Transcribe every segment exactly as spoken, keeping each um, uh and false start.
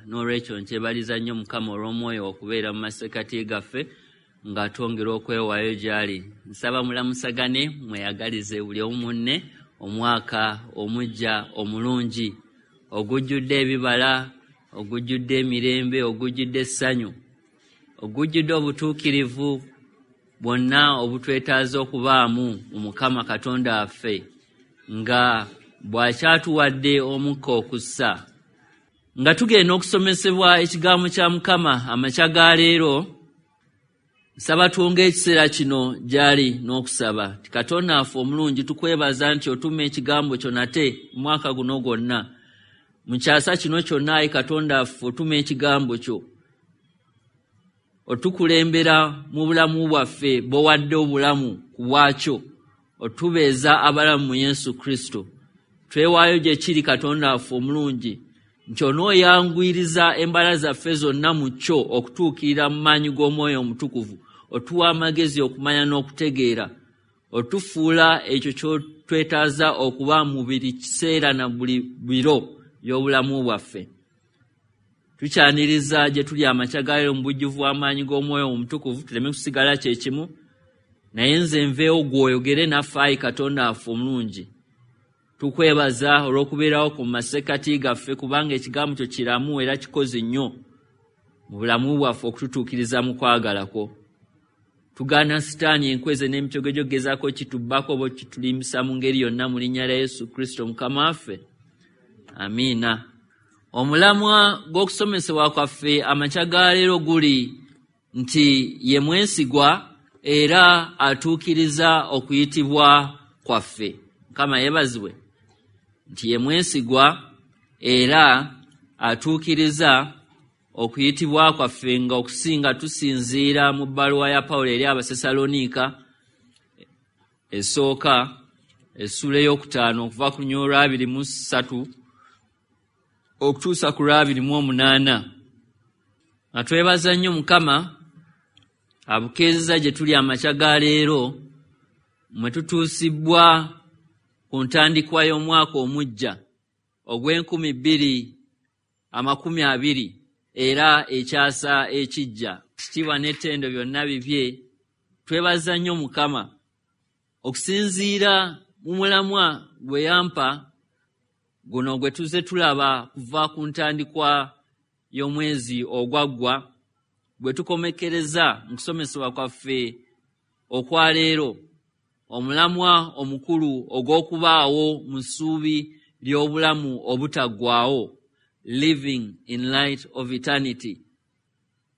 N'olwekyo nkyebaliza nnyo Mukama olw'omwoyo okubeera mu masekkati gaffe nga twongera okwewaayo gy'ali. Nsaba mulamusagane, mweyagalize buli omu munne omwaka omuggya omulungi, ogujjudde ebibala, ogujjudde emirembe, ogujjudde essanyu, ogujjudde obutuukirivu bwonna obutwetaaza okubaamu mu Mukama Katonda waffe, nga bw'akyatuwadde omukka okussa. Nga tugenda okusomesebwa ekigambo kya Mukama amakya ga leero, nsaba twonge ekiseera kino gy'ali n'okusaba. Katonda waffe omulungi, tukwebaza nti otuma ekigambo kyo nate mu mwaka guno gwonna. Mu kyasa kino kyonna, ayi Katonda waffe, otuma ekigambo kyo. Otukulembera mu bulamu bwaffe bw'owadde obulamu ku bwakyo, otubeeza abalamu mu Yesu Kristo. Twewaayo gye kiri, Katonda waffe omulungi, nti onooyanguyiriza embala zaffe zonna mu kyo okutuukirira mu maanyi g'Omwoyo Omutukuvu. Otuwa amagezi okumanya n'okutegeera, otufuula ekyo ky'otwetaaza okuba mu buli kiseera na buli biro by'obulamu bwaffe. Tukyaniriza gye tuli amakya ga leero mu bujjuvu bw'amaanyi g'Omwoyo Omutukuvu, tuleme kusigala kye kimu, naye nze nveewo gw'oyogere naffe, ayi Katonda waffe omulungi. Tukwebaza olw'okubeerawo ku masekkati gaffe, kubanga ekigambo kyo kiramu era kikozi nnyo mu bulamu bwaffe okututuukiriza mu kwagala kwo. Tugaana Sitaani enkweze n'emitego gy'okugezaako kitubbako oba okitulimbisa mu ngeri yonna, mu linnya lya Yesu Kristo Mukama waffe. Amiina. Omulamwa gw'okusomesebwa kwaffe amakya ga leero guli nti ye mwesigwa era atuukiriza okuyitibwa kwaffe. Mukama yeebazibwe nti ye mwesigwa era atuukiriza okuyitibwa kwaffe, nga okusinga tusinziira mu bbaluwa ya Pawulo eri Abasessaloniika esooka essuula ey'okutaano okuva ku lunyiriri olw'abiri mu ssatu okutuusa ku lw'abiri mu omunaana. Nga twebaza nnyo Mukama abukeezeza gye tuli amakya ga leero, mwe tutuusibwa ku ntandikwa y'omwaka omuggya ogw'enkumi bbiri amakumi abiri era ekyasa ekijja. Kitiibwa n'ettendo byonna bibye. Twebaza nnyo Mukama okusinziira mu mulamwa gwe yampa guno gwe tuzze tulaba kuva ku ntandikwa y'omwezi ogwaggwa, gwe tukomekkereza mu kusomesebwa kwaffe okwa leero, omulamwa omukulu ogw'okubaawo mu ssuubi ly'obulamu obutaggwaawo, living in light of eternity,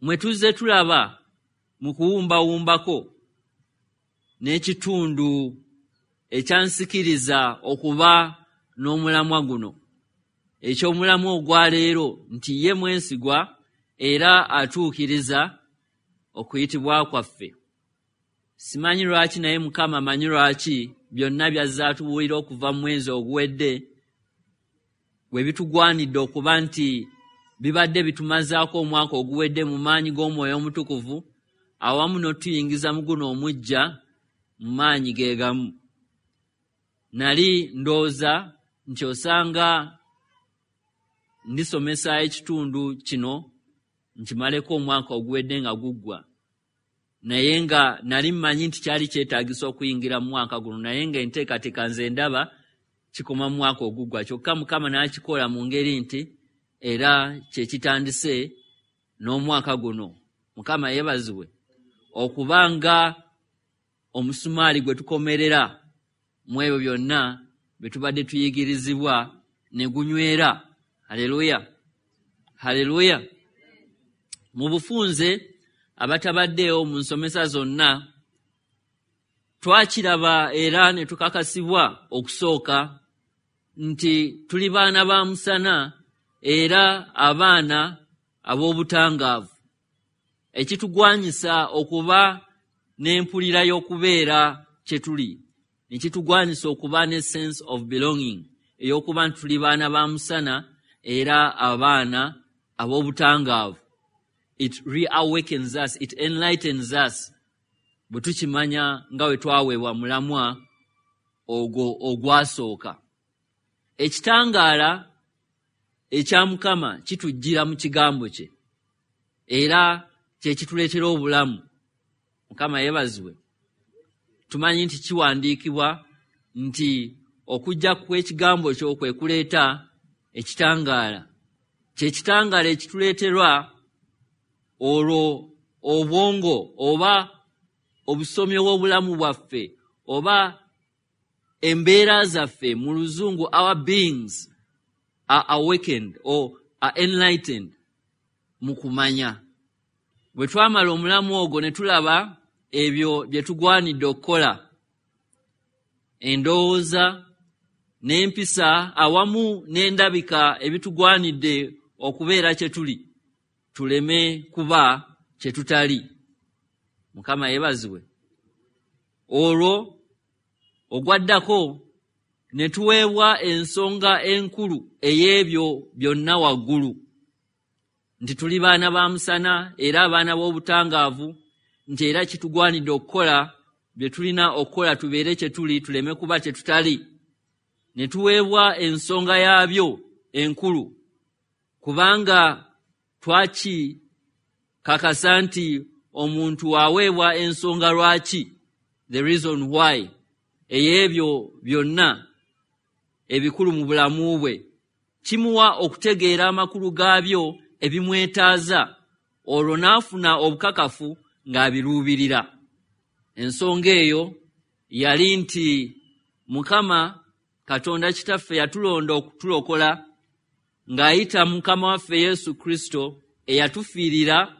mwe tuzze tulaba mu kuwumbawumbako n'ekitundu ekyansikiriza okuba n'omulamwa guno, eky'omulamwa ogwa leero nti ye mwesigwa era atuukiriza okuyitibwa kwaffe. Simanyi lwaki, naye Mukama amanyi lwaki byonna by'azze atubuulira okuva mu mwezi oguwedde bwe bitugwanidde okuba nti bibadde bitumazaako omwaka oguwedde mu maanyi g'Omwoyo Omutukuvu, awamu n'otuyingiza mu guno omuggya mu maanyi ge gamu. Nali ndowooza nti osanga ndisomesa ekitundu kino nkimaleko omwaka oguwedde nga guggwa, naye nga nali mmanyi nti kyali kyetaagisa okuyingira mu mwaka guno, naye nga enteekateeka nze ndaba kikoma mu mwaka oguggwa. Kyokka Mukama n'akikola mu ngeri nti era kye kitandise n'omwaka guno. Mukama yeebazibwe okuba nga omusumaali gwe tukomerera mu ebyo byonna bye tubadde tuyigirizibwa ne gunywera. Haleluya, haleluya. Mu bufunze abatabaddeewo mu nsomesa zonna, twakiraba era ne tukakasibwa okusooka nti tuli baana ba musana era abaana ab'obutangaavu, ekitugwanyisa okuba n'empulira y'okubeera kye tuli, ne kitugwanyisa okuba ne sense of belonging ey'okuba nti tuli baana ba musana era abaana ab'obutangaavu. It reawakens us, it enlightens us bwe tukimanya nga bwe twaweebwa mulamwa ogwo ogwasooka. Ekitangaala ekya Mukama kitujjira mu kigambo kye, era kye kituleetera obulamu. Mukama yeebazibwe. Tumanyi nti kiwandiikibwa nti okujja kw'ekigambo kyo kwe kuleeta ekitangaala. Kye kitangaala ekituleeterwa olwo obwongo oba obusomi obw'obulamu bwaffe oba embeera zaffe, mu Luzungu our beings are awakened or are enlightened mu kumanya. Bwe twamala omulamu ogwo ne tulaba ebyo bye tugwanidde okukola, endowooza n'empisa awamu n'endabika ebitugwanidde okubeera kye tuli, tuleme kuba kye tutali. Mukama yeebazibwe. Olwo ogwaddako ne tuweebwa ensonga enkulu ey'ebyo byonna waggulu, nti tuli baana ba musana era abaana b'obutangaavu, nti era kitugwanidde okukola bye tulina okukola tubeere kye tuli, tuleme kuba kye tutali. Ne tuweebwa ensonga yaabyo enkulu, kubanga twakikakasa nti omuntu aweebwa ensonga lwaki, the reason why, ey'ebyo byonna ebikulu mu bulamu bwe, kimuwa okutegeera amakulu gaabyo ebimwetaaza, olwo n'afuna obukakafu ng'abiruubirira. Ensonga eyo yali nti Mukama Katonda Kitaffe yatulonda okutulokola ng'ayita Mukama waffe Yesu Kristo eyatufiirira,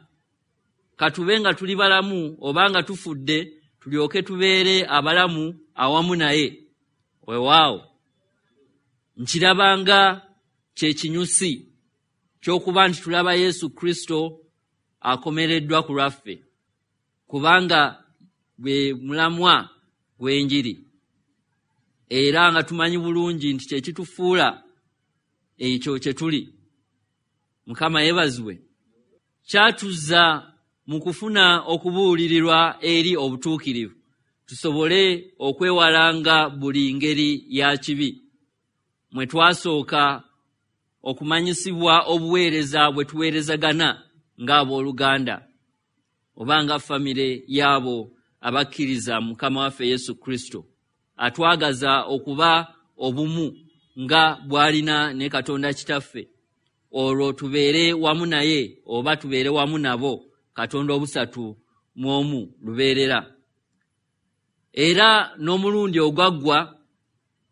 katube nga tuli balamu oba nga tufudde, tulyoke tubeere abalamu awamu naye. Weewaawo nkirabanga kye kinyusi ky'okuba nti tulaba Yesu Kristo akomereddwa ku lwaffe, kubanga gwe mulamwa gw'enjiri, era nga tumanyi bulungi nti kye kitufuula ekyo kye tuli. Mukama yeebazibwe. Kyatuzza mu kufuna okubuulirirwa eri obutuukirivu, tusobole okwewalanga buli ngeri ya kibi, mwe twasooka okumanyisibwa obuweereza bwe tuweerezagana ng'abooluganda oba nga famire y'abo abakkiriza Mukama waffe Yesu Kristo, atwagaza okuba obumu nga bw'alina ne Katonda Kitaffe, olwo tubeere wamu naye oba tubeere wamu nabo, Katonda obusatu mu omu lubeerera. Era n'omulundi ogwaggwa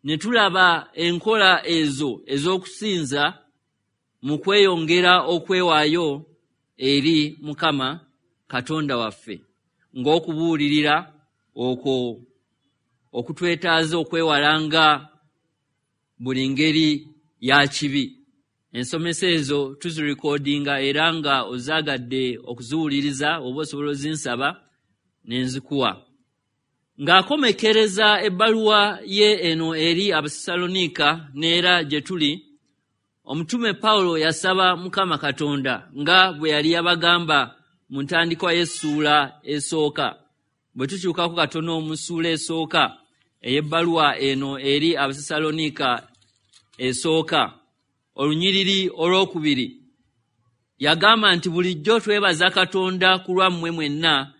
ne tulaba enkola ezo ez'okusinza mu kweyongera okwewaayo eri Mukama Katonda waffe, ng'okubuulirira okwo okutwetaaza okwewalanga buli ngeri ya kibi. Ensomesa ezo tuzirikodinga, era nga ozaagadde okuziwuliriza oba osobola ozinsaba ne nzikuwa. Ng'akomekereza ebbaluwa ye eno eri Abasessaloniika n'era gye tuli, omutume Pawulo yasaba Mukama Katonda nga bwe yali yabagamba mu ntandikwa y'essuula esooka. Bwe tukyukako katono mu ssuula esooka ey'ebbaluwa eno eri Abasessaloniika esooka, olunyiriri olwokubiri, yagamba nti bulijjo twebaza Katonda ku lwammwe mwenna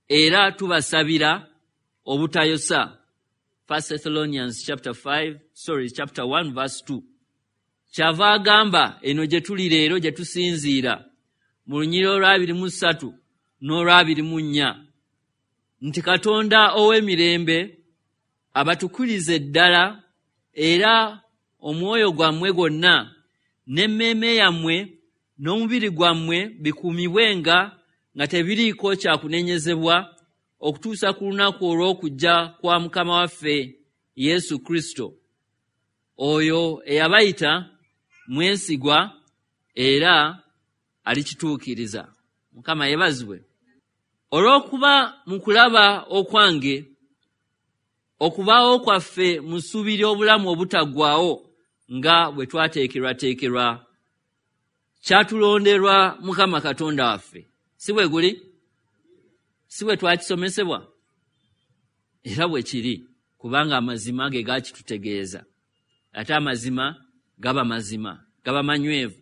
era tubasabira obutayosa. First Thessalonians chapter five, sorry, chapter one verse two. Kyava agamba eno gye tuli leero gye tusinziira mu lunyiriri olw'abiri mu ssatu n'olw'abiri mu nnya, nti Katonda ow'emirembe abatukirize ddala, era omwoyo gwammwe gwonna n'emmeeme yammwe n'omubiri gwammwe bikuumibwenga nga tebiriiko kyakunenyezebwa okutuusa ku lunaku olw'okujja kwa Mukama waffe Yesu Kristo. Oyo eyabayita mwesigwa era alikituukiriza. Mukama yeebazibwe. Olw'okuba mu kulaba okwange okubaawo kwaffe mu ssuubi ly'obulamu obutaggwaawo nga bwe twateekerwateekerwa, kyatulonderwa Mukama Katonda waffe. Si bwe guli? Si bwe twakisomesebwa? Era bwe kiri, kubanga amazima ge gakitutegeeza, ate amazima gaba mazima. Gaba manywevu.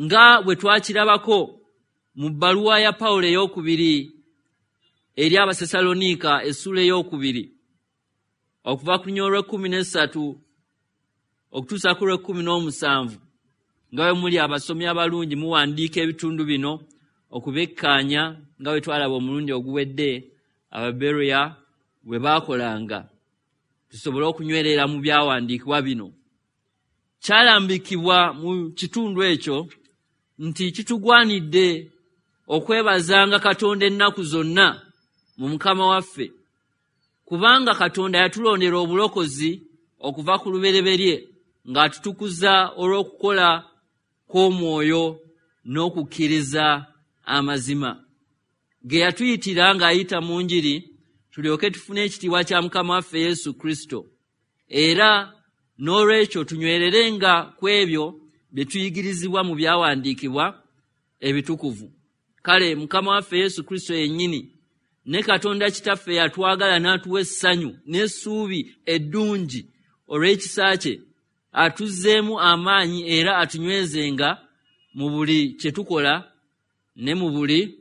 Nga bwe twakirabako mu bbaluwa ya Pawulo ey'okubiri eri Abasessaloniika essuula ey'okubiri okuva ku lunyiriri olw'ekkumi n'essatu okutuusa ku lw'ekkumi n'omusanvu, nga bwe muli abasomi abalungi muwandiika ebitundu bino okubekkaanya nga bwe twalaba omulundi oguwedde Ababeroya bwe baakolanga, tusobole okunywerera mu byawandiikibwa bino. Kyalambikibwa mu kitundu ekyo nti kitugwanidde okwebazanga Katonda ennaku zonna mu Mukama waffe, kubanga Katonda yatulondera obulokozi okuva ku lubereberye ng'atutukuza olw'okukola kw'omwoyo n'okukkiriza amazima ge yatuyitira ng'ayita mu njiri, tulyoke tufune ekitiibwa kya Mukama waffe Yesu Kristo. Era n'olwekyo tunywererenga ku ebyo bye tuyigirizibwa mu byawandiikibwa ebitukuvu. Kale Mukama waffe Yesu Kristo yennyini ne Katonda Kitaffe yatwagala n'atuwa essanyu n'essuubi eddungi olw'ekisa kye, atuzzeemu amaanyi era atunywezenga mu buli kye tukola ne mu buli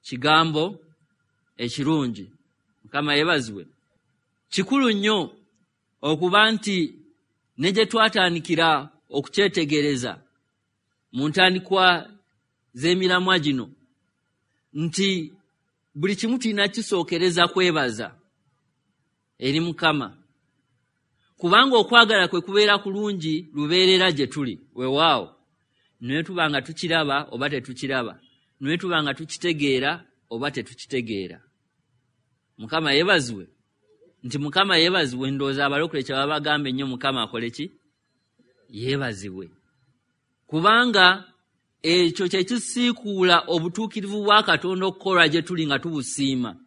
kigambo ekirungi. Mukama yeebazibwe. Kikulu nnyo okuba nti ne gye twatandikira okukyetegereza mu ntandikwa z'emiramwa gino nti buli kimu tulina kisookereza kwebaza eri Mukama, kubanga okwagala kwe kubeera kulungi lubeerera gye tuli. Weewaawo, naye tuba nga tukiraba oba tetukiraba, naye tuba nga tukitegeera oba tetukitegeera. Mukama yeebazibwe. Nti Mukama yeebazibwe, ndowooza abalokole kye baba bagamba ennyo Mukama akole ki? Yeebazibwe. Kubanga ekyo kye kisiikuula obutuukirivu bwa Katonda okukolwa gye tuli nga tubusiima,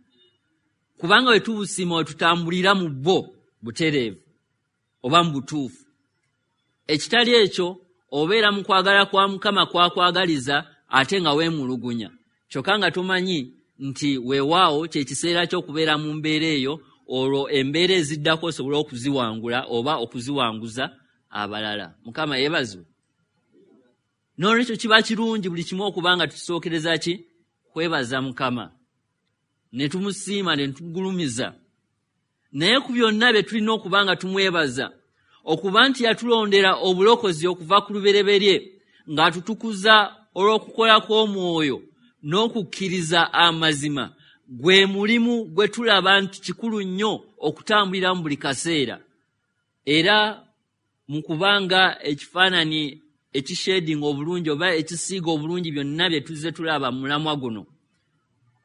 kubanga bwe tubusiima we tutambulira mu bwo butereevu oba mu butuufu. Ekitali ekyo obeera mu kwagala kwa Mukama kwakwagaliza ate nga weemulugunya, kyokka nga tomanyi nti weewaawo kye kiseera ky'okubeera mu mbeera eyo, olwo embeera eziddako osobole okuziwangula oba okuziwanguza abalala. Mukama yeebazibwe. N'olwekyo kiba kirungi buli kimu okuba nga tukisookereza ki? Kwebaza Mukama, ne tumusiima ne tumugulumiza. Naye ku byonna bye tulina okuba nga tumwebaza, okuba nti yatulondera obulokozi okuva ku lubereberye ng'atutukuza olw'okukola kw'omwoyo n'okukkiriza amazima, gwe mulimu gwe tulaba nti kikulu nnyo okutambulira mu buli kaseera. Era mu kubanga ekifaananyi ekishedinga obulungi oba ekisiiga obulungi byonna bye tuzze tulaba mu mulamwa guno,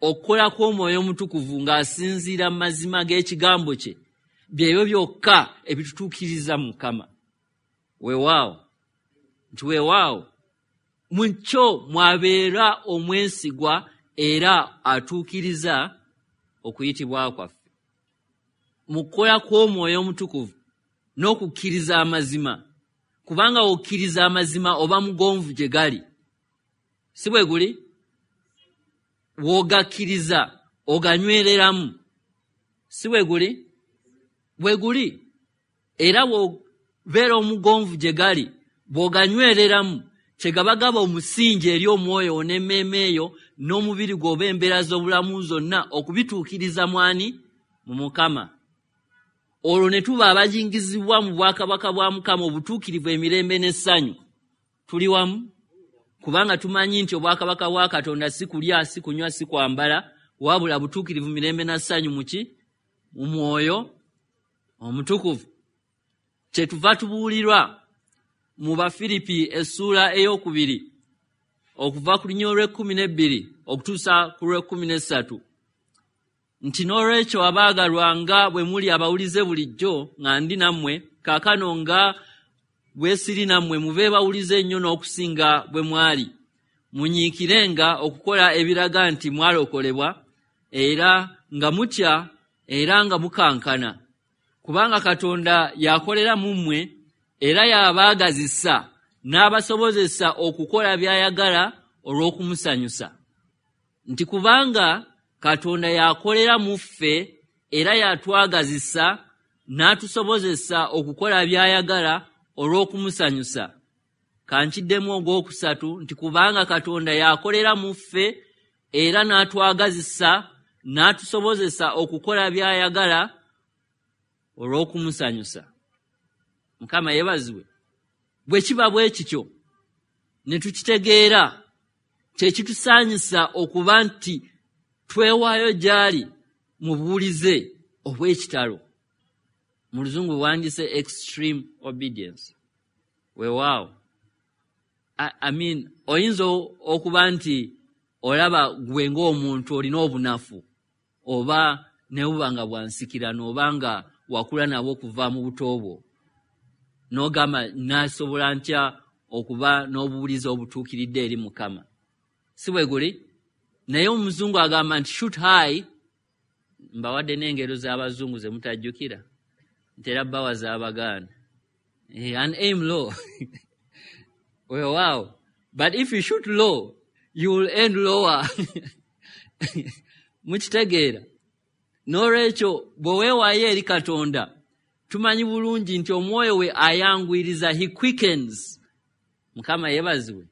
okukola kw'omwoyo omutukuvu ng'asinziira mu mazima g'ekigambo kye byebyo byokka ebitutuukiriza Mukama. Weewaawo, nti weewaawo mu kyo mwabeera omwesigwa era atuukiriza okuyitibwa kwaffe. Mu kukola kw'omwoyo omutukuvu n'okukkiriza amazima, kubanga okkiriza amazima oba mugonvu gye gali, si bwe guli? W'ogakkiriza oganywereramu, si bwe guli? Bwe guli. Era bw'obeera omugonvu gye gali, bw'oganywereramu, kyegaba gaba omusingi eri omwoyo n'emmeeme eyo n'omubiri gwo oba embeera z'obulamu zonna okubituukiriza mwani? Mu Mukama. Olwo ne tuba abajingizibwa mu bwakabaka bwa Mukama obutuukirivu emirembe n'essanyu. Tuli wamu? Kubanga tumanyi nti obwakabaka bwa Katonda si kulya, si kunywa, si kwambala, wabula butuukirivu mirembe na ssanyu mu ki? Mu mwoyo omutukuvu. Kyetuva tubuulirwa mu Bafiripi essuula ey'okubiri okuva ku lunyiriri olw'ekkumi n'ebbiri okutuusa ku lw'ekkumi n'essatu nti n'olwekyo abaagalwa nga bwe muli abawulize bulijjo nga ndi nammwe, kaakano nga bwe siri nammwe mube bawulize nnyo n'okusinga bwe mwali. Munyiikirenga okukola ebiraga nti mwalokolebwa, era nga mutya era nga mukankana, kubanga Katonda yakolera mu mmwe era yabaagazisa n'abasobozesa okukola by'ayagala olw'okumusanyusa. Nti kubanga Katonda yakolera mu ffe era yatwagazisa n'atusobozesa okukola by'ayagala olw'okumusanyusa. Kankiddemu ogwokusatu nti kubanga Katonda yakolera mu ffe era n'atwagazisa n'atusobozesa okukola by'ayagala olw'okumusanyusa. Mukama yeebazibwe. Bwe kiba bwe kityo ne tukitegeera, kye kitusaanyisa okuba nti twewaayo gy'ali mu buwulize obw'ekitalo. Mu luzungu wandise extreme obedience. Weewaawo, I, I mean, oyinza okuba nti olaba gwe ng'omuntu olina obunafu oba ne buba nga bwa nsikirano oba nga wakula nabwo okuva mu buto bwo, n'ogamba naasobola ntya okuba n'obuwulize obutuukiridde eri Mukama. Si bwe guli? Naye omuzungu agamba nti shoot high. Mbawadde n'engero z'abazungu ze mutajjukira, ntera bbawa z'Abaganda. And aim low. Weewaawo, but if you shoot low you will end lower. Mukitegeera? N'olwekyo bwe weewaayo eri Katonda, tumanyi bulungi nti omwoyo we ayanguyiriza, he quickens. Mukama yeebazibwe.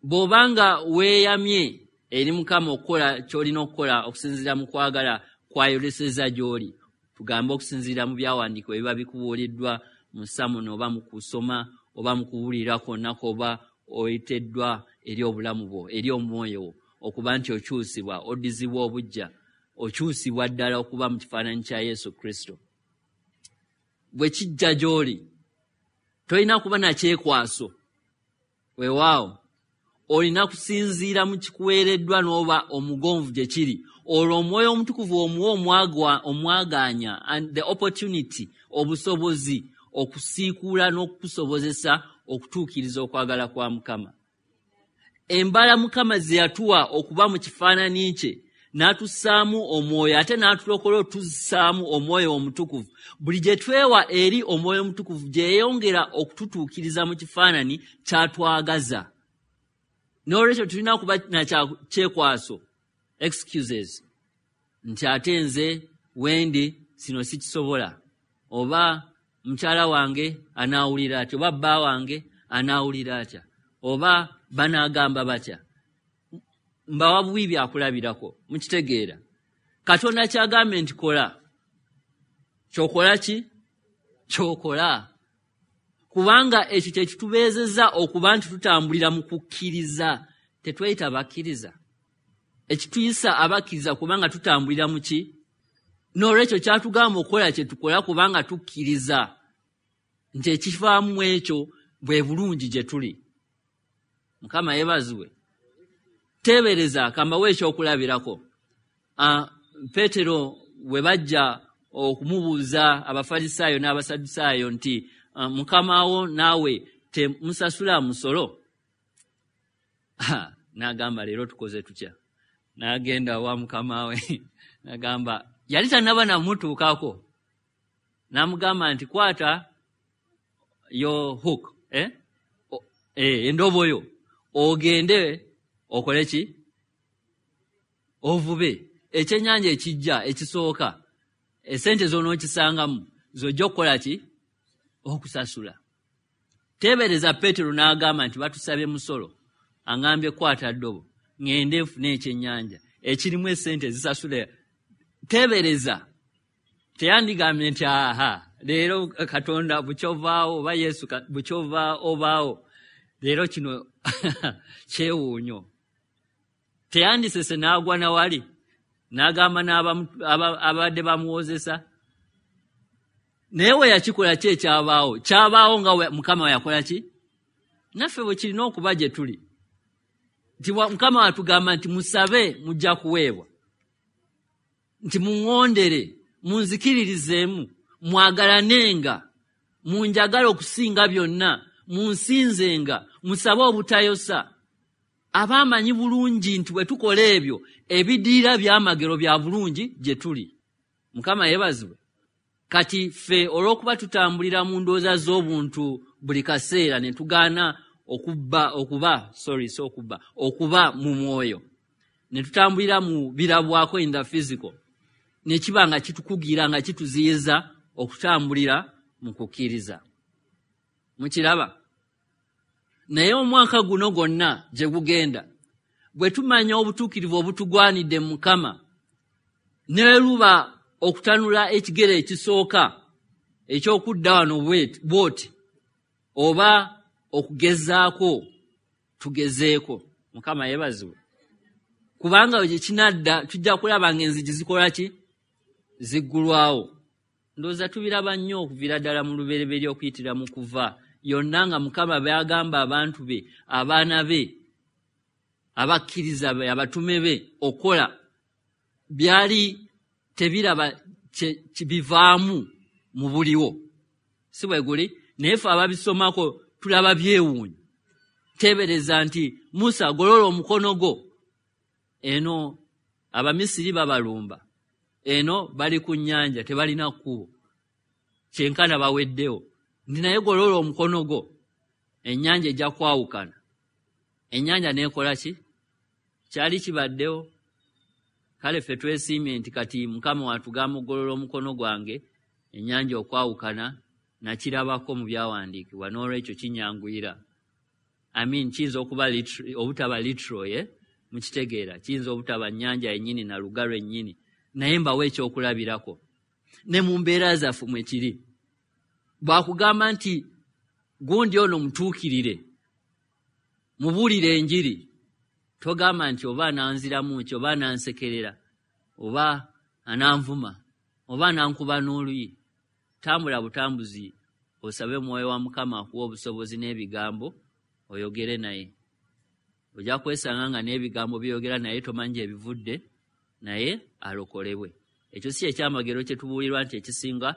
Bw'obanga weeyamye eri Mukama okukola ky'olina okukola okusinziira mu kwagala kwayoleseza gy'oli, tugambe okusinziira mu byawandiikibwa ebiba bikubuuliddwa mu ssamuno oba mu kusoma oba mu kuwulira kwonna kw'oba oyiteddwa eri obulamu bwo, eri omwoyo wo, okuba nti okyusibwa, oddizibwa obuggya, okyusibwa ddala okuba mu kifaananyi kya Yesu Kristo. Bwe kijja gy'oli tolina kuba na kyekwaso. Weewaawo, olina kusinziira mu kikuweereddwa n'oba omugonvu gye kiri. Olwo omwoyo omutukuvu omuwa omwagaanya and the opportunity, obusobozi okusiikuula n'okukusobozesa okutuukiriza okwagala kwa Mukama. Embala Mukama ze yatuwa okuba mu kifaananyi kye, n'atussaamu omwoyo ate n'atulokola otussaamu omwoyo omutukuvu. Buli gye twewa eri omwoyo omutukuvu gyeyongera okututuukiriza mu kifaananyi kyatwagaza. N'olwekyo tulina kuba na kyekwaso, excuses, nti ate nze wendi sino sikisobola, oba mukyala wange anaawulira atya, oba bba wange anaawulira atya, oba banaagamba batya. Mbawa buwi byakulabirako, mukitegeera. Katonda kyagambye nti kola, kyokola ki? Kyokola. Kubanga ekyo kye kitubeezezza okuba nti tutambulira mu kukkiriza. Tetweyita bakkiriza, ekituyisa abakkiriza kubanga tutambulira mu ki? N'olwekyo kyatugamba okukola kye tukola kubanga tukkiriza nti ekivaamu ekyo bwe bulungi gye tuli. Mukama yeebazibwe. Teebereza, kambawe ekyokulabirako. Peetero bwe bajja okumubuuza Abafalisaayo n'Abasadusaayo nti Mukama wo naawe temusasula musolo, n'agamba leero tukoze tutya? N'agenda wa mukama we n'agamba, yali tannaba namutuukako, n'amugamba nti kwata yo hook, eh? Eh, endobo yo ogende okole ki? Ovube ekyennyanja ekijja ekisooka, esente z'onookisangamu z'ojja okukola ki? Okusasula. Teebereza Peetero n'agamba nti batusabye musolo, aŋambye kwata ddobo ŋŋende nfune ekyennyanja ekirimu esente ezisasula. Teebereza, teyandigambye nti aha leero Katonda bukyovaawo oba Yesu bukyova obaawo leero kino kyewuunyo. Teyandisese n'agwa nawali n'agamba n'abadde bamuwozesa. Naye we yakikola ki ekyabaawo? Kyabaawo nga Mukama yakola ki? Naffe bwe kirina okuba gye tuli. Nti Mukama watugamba nti musabe mujja kuweebwa, nti muŋŋondere, munzikiririzeemu, mwagalanenga, munjagala okusinga byonna, munsinzenga, musabe obutayosa. Aba amanyi bulungi nti bwe tukola ebyo ebidiira byamagero bya bulungi gye tuli. Mukama yeebazibwe. Kati ffe olw'okuba tutambulira mu ndowooza z'obuntu buli kaseera ne tugaana okubba okuba sorry so okubba okuba mu mwoyo, ne tutambulira mu birabwako in the physical, ne kiba nga kitukugira nga kituziyiza okutambulira mu kukkiriza. Mukiraba? Naye omwaka guno gwonna gye gugenda, bwe tumanya obutuukirivu obutugwanidde Mukama, ne luba okutanula ekigere ekisooka eky'okudda wano bw'oti, oba okugezaako tugezeeko. Mukama yeebazibwe. Kubanga gye kinadda tujja kulaba ng'enzigi zikola ki? Ziggulwawo. Ndowooza tubiraba nnyo okuviira ddala mu lubereberye okuyitira mu kuva yonna nga Mukama by'agamba abantu be, abaana be, abakkiriza be, abatume be okukola, byali tebiraba bivaamu mu buliwo. Si bwe guli? Naye ffe ababisomako tulaba byewuunyo. Teebereza nti Musa golola omukono gwo, eno Abamisiri babalumba, eno bali ku nnyanja tebalina kkubo, kyenkana baweddewo. Nti naye golola omukono gwo, ennyanja ejja kwawukana. Ennyanja n'ekola ki? Kyali kibaddewo. Kale ffe twesiimye nti kati Mukama watugamba okugolola omukono gwange, ennyanja okwawukana, nakirabako mu byawandiikibwa, n'olwekyo kinyanguyira. I mean, kiyinza okuba obutaba literal, ye mukitegeera, kiyinza obutaba nnyanja yennyini na lugalo ennyini, naye mbawe ekyokulabirako. Ne mu mbeera zaffe mwe kiri. Bw'akugamba nti gundi ono mutuukirire, mubuulire enjiri, togamba nti oba ananziramu ki, oba anansekerera, oba ananvuma, oba anankuba n'oluyi. Tambula butambuzi osabe Mwoyo wa Mukama akuwa obusobozi n'ebigambo oyogere naye. Ojja kwesanga nga n'ebigambo by'oyogera naye tomanyi gye bivudde, naye alokolebwe. Ekyo si ekyamagero kye tubuulirwa nti ekisinga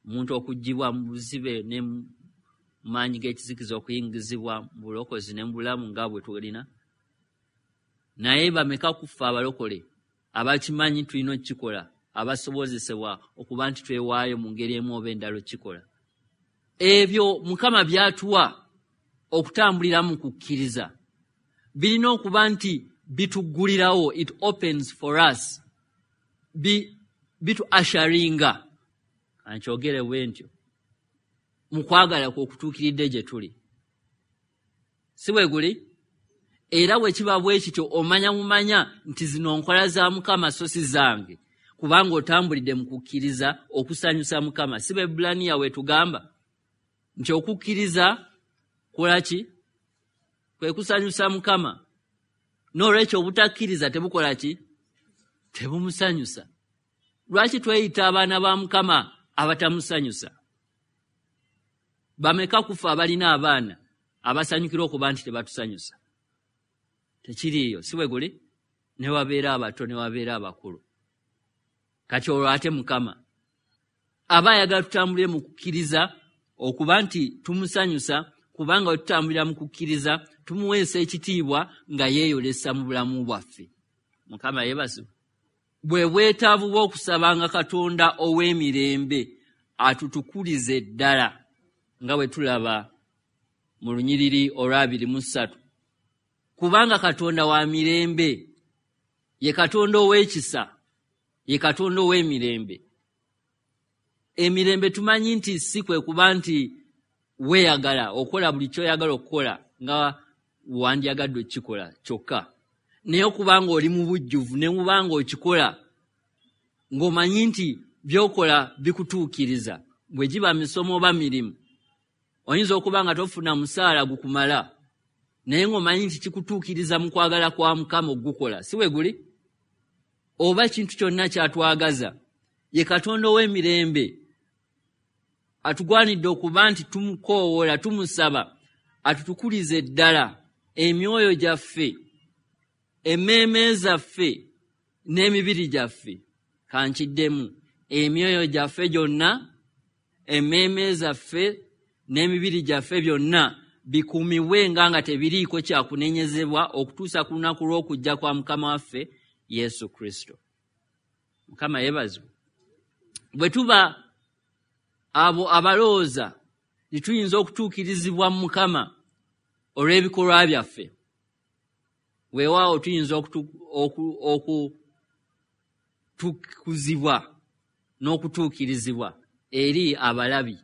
omuntu okuggyibwa mu buzibe ne mu maanyi g'ekizikiza okuyingizibwa mu bulokozi ne mu bulamu nga bwe tulina. Naye bameka ku ffe abalokole abakimanyi tulina okukikola, abasobozesebwa okuba nti twewaayo mu ngeri emu oba endala okukikola. Ebyo Mukama by'atuwa okutambulira mu kukkiriza birina okuba nti bituggulirawo, it opens for us, bitu asharinga, ankyogere bwe ntyo, mu kwagala kwe okutuukiridde gye tuli. Si bwe guli? Era bwe kiba bwe kityo omanya mumanya nti zino nkola za Mukama so si zange, kubanga otambulidde mu kukkiriza okusanyusa Mukama. Si Baebbulaniya weetugamba nti okukkiriza kukola ki? Kwe kusanyusa Mukama. N'olwekyo obutakkiriza tebukola ki? Tebumusanyusa. Lwaki tweyita abaana ba Mukama abatamusanyusa? Bameka kufa abalina abaana abasanyukira okuba nti tebatusanyusa? Tekiriiyo, si bwe guli? Ne wabeera abato ne wabeera abakulu. Kati olwo ate Mukama aba ayagala tutambulire mu kukkiriza okuba nti tumusanyusa, kubanga bwe tutambulira mu kukkiriza tumuweesa ekitiibwa nga yeeyolesa mu bulamu bwaffe. Mukama yeebazibwe. Bwe bwetaavu bw'okusabanga Katonda ow'emirembe atutukulize ddala, nga bwe tulaba mu lunyiriri olw'abiri mu ssatu. Kubanga Katonda wa mirembe, ye Katonda ow'ekisa, ye Katonda ow'emirembe. Emirembe tumanyi nti si kwe kuba nti weeyagala okola buli ky'oyagala okukola nga wandyagadde okukikola kyokka, naye okuba ng'oli mu bujjuvu ne muba ng'okikola ng'omanyi nti by'okola bikutuukiriza. Bwe giba misomo oba mirimu, oyinza okuba nga tofuna musaala gukumala, naye ng'omanyi nti kikutuukiriza mu kwagala kwa Mukama okugukola. Si bwe guli? Oba ekintu kyonna ky'atwagaza, ye Katonda ow'emirembe atugwanidde okuba nti tumukoowoola, tumusaba atutukulize ddala emyoyo gyaffe, emmeeme zaffe n'emibiri gyaffe. Kankiddemu, emyoyo gyaffe gyonna, emmeeme zaffe n'emibiri gyaffe byonna bikuumibwe nga nga tebiriiko kyakunenyezebwa okutuusa ku lunaku lw'okujja kwa Mukama waffe Yesu Kristo. Mukama yeebazibwe. Bwe tuba abo abalowooza nti tuyinza okutuukirizibwa mu Mukama olw'ebikolwa byaffe, weewaawo tuyinza okutukuzibwa n'okutuukirizibwa eri abalabi,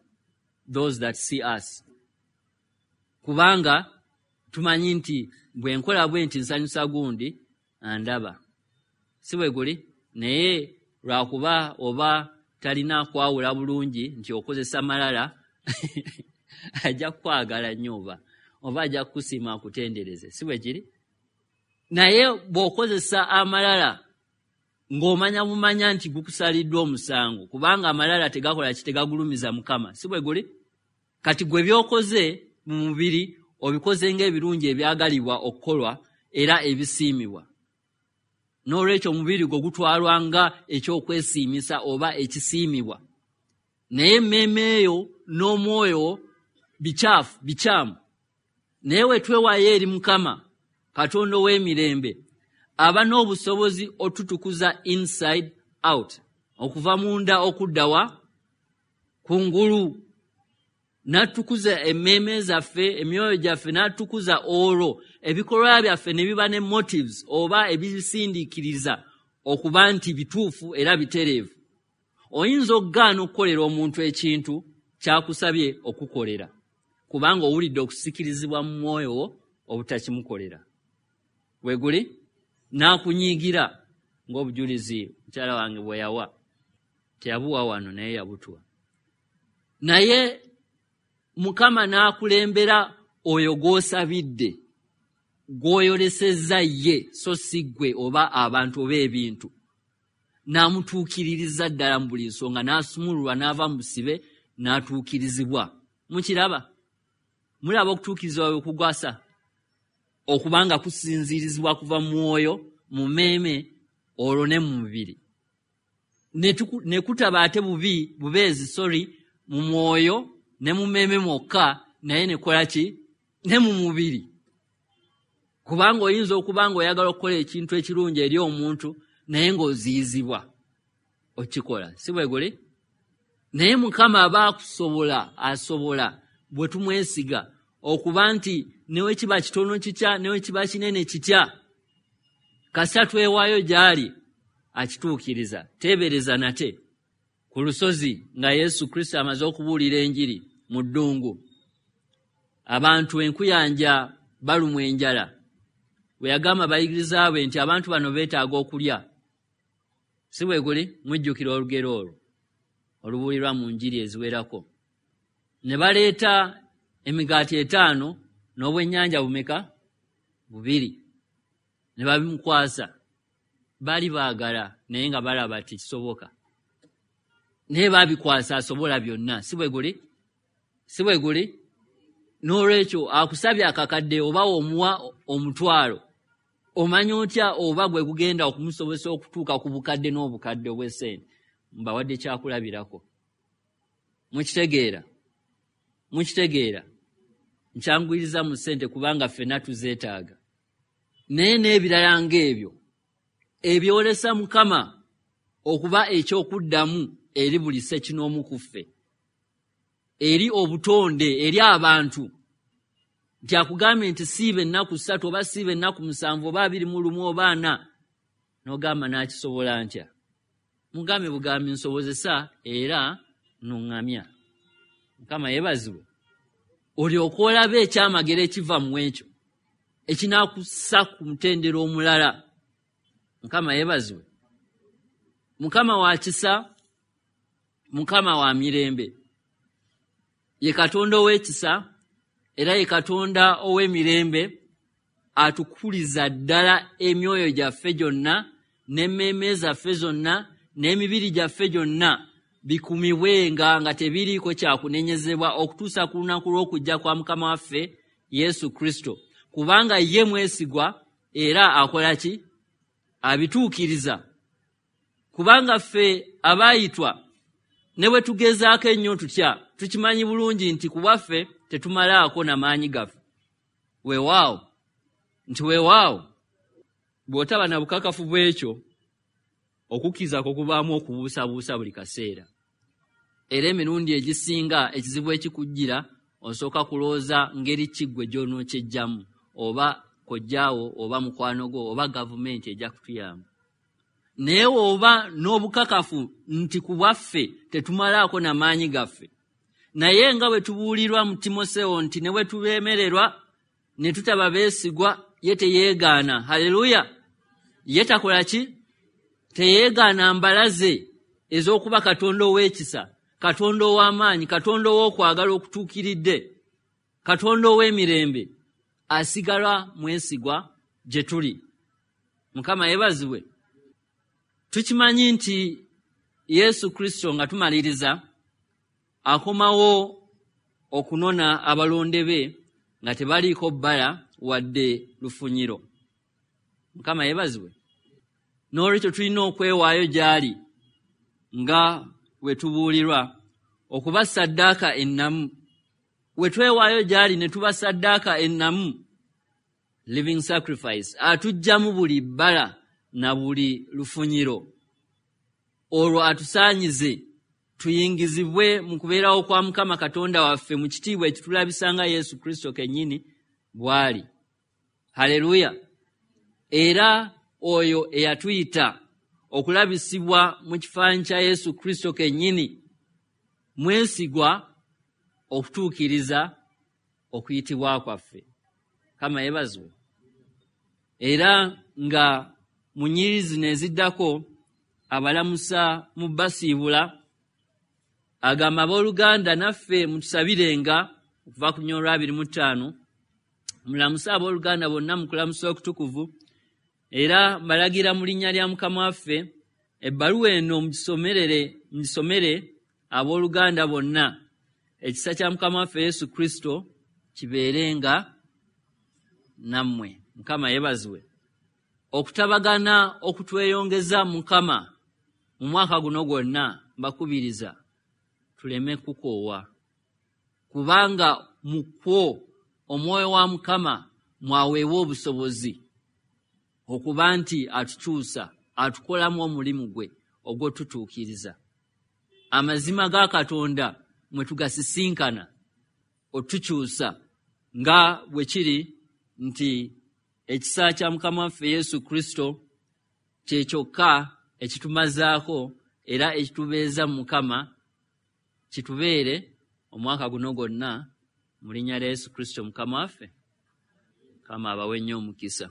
those that see us. Kubanga tumanyi nti bwe nkola bwe nti nsanyusa gundi andaba. Si bwe guli? Naye lwakuba oba talina kwawula bulungi nti okozesa malala ajja kukwagala nnyo oba oba ajja kukusiima akutendereze. Si bwe kiri? Naye bw'okozesa amalala ng'omanya bumanya nti gukusaliddwa omusango, kubanga amalala tegakola ki, tegagulumiza Mukama. Si bwe guli? Kati gwe by'okoze mu mubiri obikoze ng'ebirungi ebyagalibwa okukolwa era ebisiimibwa. N'olwekyo omubiri gwo gutwalwa nga ekyokwesiimisa oba ekisiimibwa. Naye emmeeme eyo n'omwoyo bikyafu, bikyamu. Naye we twewaayo eri Mukama Katonda ow'emirembe, aba n'obusobozi otutukuza inside out, okuva munda okudda wa kungulu, n'atukuza emmeeme zaffe, emyoyo gyaffe, n'atukuza olwo ebikolwa byaffe ne biba ne motives oba ebisindiikiriza okuba nti bituufu era bitereevu. Oyinza okugaana okukolera omuntu ekintu ky'akusabye okukolera, kubanga owulidde okusikirizibwa mu mwoyo wo obutakimukolera. Bwe guli? N'akunyiigira ng'obujulizi mukyala wange bwe yawa. Teyabuwa wano naye yabutuwa. Naye Mukama n'akulembera oyo gw'osabidde, gw'oyolesezza ye, so si ggwe oba abantu oba ebintu. N'amutuukiririza ddala mu buli nsonga, n'asumululwa n'ava mu busibe n'atuukirizibwa. Mukiraba? Mulaba okutuukirizibwa bwe kugwasa? Okubanga kusinziirizibwa kuva mu mwoyo, mu mmeeme, olwo ne mu mubiri. Ne kutaba ate bubi, bubeezi, sorry, mu mwoyo ne mu mmeeme mwokka, naye ne kola ki? Ne mu mubiri. Kubanga oyinza okuba ng'oyagala okukola ekintu ekirungi eri omuntu, naye ng'oziyizibwa okikola. Si bwe guli? Naye Mukama aba akusobola, asobola bwe tumwesiga okuba nti ne we kiba kitono kitya, ne we kiba kinene kitya, kasita twewaayo gy'ali akituukiriza. Teebereza nate ku lusozi nga Yesu Kristo amaze okubuulira enjiri mu ddungu, abantu enkuyanja balumwa enjala. Bwe yagamba abayigiriza be nti abantu bano beetaaga okulya. Si bwe guli? Mujjukira olugero olwo olubuulirwa mu njiri eziwerako. Ne baleeta emigaati etaano n'obwennyanja bumeka? Bubiri. Ne babimukwasa. Baali baagala naye nga balaba tekisoboka. Naye baabikwasa asobola byonna. Si bwe guli? Si bwe guli? N'olwekyo akusabye akakadde oba omuwa omutwalo, omanya otya oba gwe gugenda okumusobozesa okutuuka ku bukadde n'obukadde obw'essente? Mbawadde kyakulabirako. Mukitegeera? Mukitegeera? Nkyanguyiriza mu ssente kubanga ffenna tuzeetaaga. Naye n'ebirala ng'ebyo ebyolesa Mukama okuba ekyokuddamu eri buli ssekinoomu ku ffe, eri obutonde, eri abantu, nti akugambye nti siiba ennaku ssatu oba siiba ennaku musanvu oba abiri mu lumu oba ana, n'ogamba n'akisobola ntya? Mugambe bugambi nsobozesa era nuŋŋamya. Mukama yeebazibwe. Olyoke olabe ekyamagero ekiva mu ekyo ekinaakussa ku mutendera omulala. Mukama yeebazibwe. Mukama wa kisa, Mukama wa mirembe. Ye Katonda ow'ekisa era ye Katonda ow'emirembe, atukuliza ddala emyoyo gyaffe gyonna n'emmeeme zaffe zonna n'emibiri gyaffe gyonna bikumibwenga nga tebiriiko kyakunenyezebwa okutuusa ku lunaku lw'okujja kwa Mukama waffe Yesu Kristo. Kubanga ye mwesigwa era akola ki? Abituukiriza. Kubanga ffe abaayitwa ne bwe tugezaako ennyo tutya, tukimanyi bulungi nti ku bwaffe tetumalaako na maanyi gaffe. Weewaawo nti weewaawo bw'otaba na bukakafu bw'ekyo, okukkiriza kwo kubaamu okubuusabuusa buli kaseera. Era emirundi egisinga ekizibu ekikujjira osooka kulowooza ngeri ki ggwe gy'onookyejjamu, oba kojjaawo oba mukwano gwo oba gavumenti ejja kutuyamba. Naye oba n'obukakafu nti ku bwaffe tetumalaako na maanyi gaffe, Naye nga bwe tubuulirwa mu Timoseewo nti ne bwe tubeemererwa ne tutaba beesigwa, ye teyeegaana. Haleluya! Ye takola ki? Teyeegaana mbala ze ez'okuba Katonda ow'ekisa, Katonda ow'amaanyi, Katonda ow'okwagala okutuukiridde, Katonda ow'emirembe. Asigala mwesigwa gye tuli. Mukama yeebazibwe. Tukimanyi nti Yesu Kristo, nga tumaliriza, akomawo okunona abalonde be nga tebaliiko bbala wadde lufunyiro. Mukama yeebazibwe. N'olwekyo tulina okwewaayo gy'ali nga bwe tubuulirwa okuba ssaddaaka ennamu. We twewaayo gy'ali ne tuba ssaddaaka ennamu, living sacrifice, atuggyamu buli bbala na buli lufunyiro, olwo atusaanyize tuyingizibwe mu kubeerawo kwa Mukama Katonda waffe mu kitiibwa ekitulabisa nga Yesu Kristo kennyini bw'ali. Haleluya! Era oyo eyatuyita okulabisibwa mu kifaananyi kya Yesu Kristo kennyini mwesigwa okutuukiriza okuyitibwa kwaffe. Mukama yeebazibwe. Era nga mu nnyiriri zino eziddako abalamusa mu basiibula, agamba, abooluganda naffe mutusabirenga, okuva ku lunyiriri olw'abiri mu ttaano, mulamuse abooluganda bonna mu kulamusa okutukuvu. Era mbalagira mu linnya lya Mukama waffe, ebbaluwa eno mugisomerere mugisomere abooluganda bonna. Ekisa kya Mukama waffe Yesu Kristo kibeerenga nammwe. Mukama yeebazibwe. Okutabagana okutweyongeza Mukama mu mwaka guno gwonna, mbakubiriza tuleme kukoowa, kubanga mu kwo omwoyo wa Mukama mwaweebwa obusobozi okuba nti atukyusa, atukolamu omulimu gwe ogw'otutuukiriza. Amazima ga Katonda mwe tugasisinkana otukyusa, nga bwe kiri nti ekisa kya Mukama waffe Yesu Kristo kye kyokka ekitumazaako era ekitubeeza mu Mukama, kitubeere omwaka guno gwonna mu linnya lya Yesu Kristo Mukama waffe. Mukama abawe nnyo omukisa.